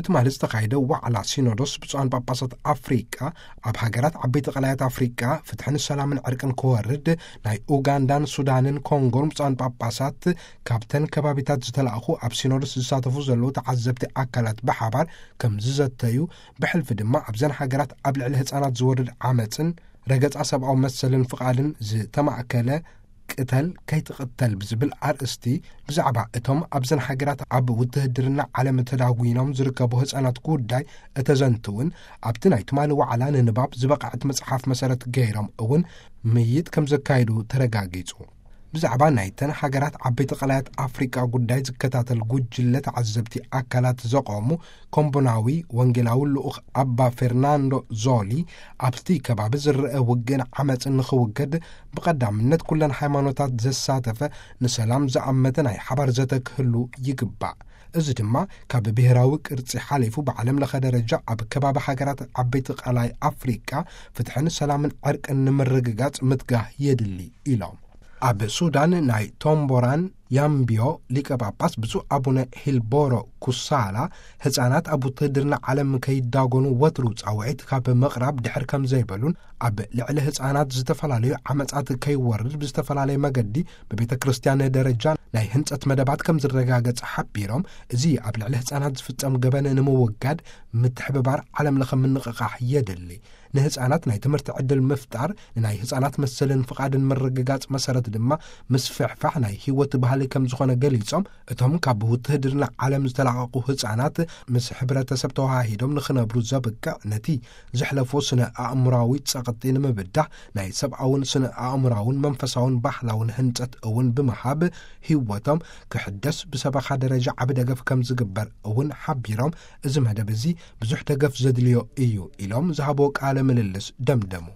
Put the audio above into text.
ትማሊ ዝተኻየደ ዋዕላ ሲኖዶስ ብፁዓን ጳጳሳት ኣፍሪቃ፣ ኣብ ሃገራት ዓበይቲ ቀላያት ኣፍሪቃ ፍትሕን ሰላምን ዕርቅን ክወርድ፣ ናይ ኡጋንዳን ሱዳንን ኮንጎን ብፁዓን ጳጳሳት፣ ካብተን ከባቢታት ዝተላእኹ ኣብ ሲኖዶስ ዝሳተፉ ዘለዉ ተዓዘብቲ ኣካላት ብሓባር ከም ዝዘተዩ፣ ብሕልፊ ድማ ኣብዘን ሃገራት ኣብ ልዕሊ ህፃናት ዝወርድ ዓመፅን ረገፃ ሰብኣዊ መሰልን ፍቓድን ዝተማእከለ ቅተል ከይትቕተል ብዝብል ኣርእስቲ፣ ብዛዕባ እቶም ኣብዘን ሃገራት ኣብ ውትህድርና ዓለም ተዳጒኖም ዝርከቡ ህፃናት ጉዳይ እተዘንትውን፣ ኣብቲ ናይ ትማሊ ዋዕላ ንንባብ ዝበቕዐት መጽሓፍ መሰረት ገይሮም እውን ምይይጥ ከም ዘካየዱ ተረጋጊጹ። ብዛዕባ ናይተን ሃገራት ዓበይቲ ቀላያት ኣፍሪቃ ጉዳይ ዝከታተል ጉጅለ ተዓዘብቲ ኣካላት ዘቖሙ ኮምቦናዊ ወንጌላዊ ልኡኽ ኣባ ፌርናንዶ ዞሊ፣ ኣብቲ ከባቢ ዝረአ ውግእን ዓመፅን ንኽውገድ፣ ብቐዳምነት ኩለን ሃይማኖታት ዘሳተፈ፣ ንሰላም ዝኣመተ ናይ ሓባር ዘተ ክህሉ ይግባእ። እዚ ድማ ካብ ብሄራዊ ቅርጺ ሓሊፉ፣ ብዓለም ለኸ ደረጃ ኣብ ከባቢ ሃገራት ዓበይቲ ቀላይ ኣፍሪቃ ፍትሕን ሰላምን ዕርቅን ንምርግጋጽ ምትጋህ የድሊ ኢሎም። ኣብ ሱዳን ናይ ቶምቦራን ያምቢዮ ሊቀ ጳጳስ ብፁዕ ኣቡነ ሂልቦሮ ኩሳላ፣ ህፃናት ኣብ ውትህድርና ዓለም ከይዳጎኑ ወትሩ ጻውዒት ካብ ምቕራብ ድሕር ከም ዘይበሉን፣ ኣብ ልዕሊ ህፃናት ዝተፈላለዩ ዓመፃት ከይወርድ ብዝተፈላለየ መገዲ ብቤተ ክርስቲያን ደረጃ ናይ ህንጸት መደባት ከም ዝረጋገጽ ሓቢሮም፣ እዚ ኣብ ልዕሊ ህፃናት ዝፍጸም ገበን ንምውጋድ ምትሕብባር ዓለም ለኸ ምንቕቓሕ የድሊ። ንህፃናት ናይ ትምህርቲ ዕድል ምፍጣር፣ ንናይ ህፃናት መሰልን ፍቓድን ምርግጋጽ መሰረት ድማ ምስፍሕፋሕ ናይ ህይወት ባህሊ ከም ዝኾነ ገሊጾም፣ እቶም ካብ ውትህድርና ዓለም ዝተላቐቑ ህፃናት ምስ ሕብረተሰብ ተዋሃሂዶም ንኽነብሩ ዘብቅዕ፣ ነቲ ዘሕለፎ ስነ ኣእምሮኣዊ ጸቕጢ ንምብዳህ ናይ ሰብኣውን ስነ ኣእምሮኣውን መንፈሳውን ባህላውን ህንጸት እውን ብምሃብ ህይወቶም ክሕደስ ብሰበኻ ደረጃ ዓቢ ደገፍ ከም ዝግበር እውን ሓቢሮም፣ እዚ መደብ እዚ ብዙሕ ደገፍ ዘድልዮ እዩ ኢሎም ዝሃብዎ ቃለ ምልልስ ደምደሙ።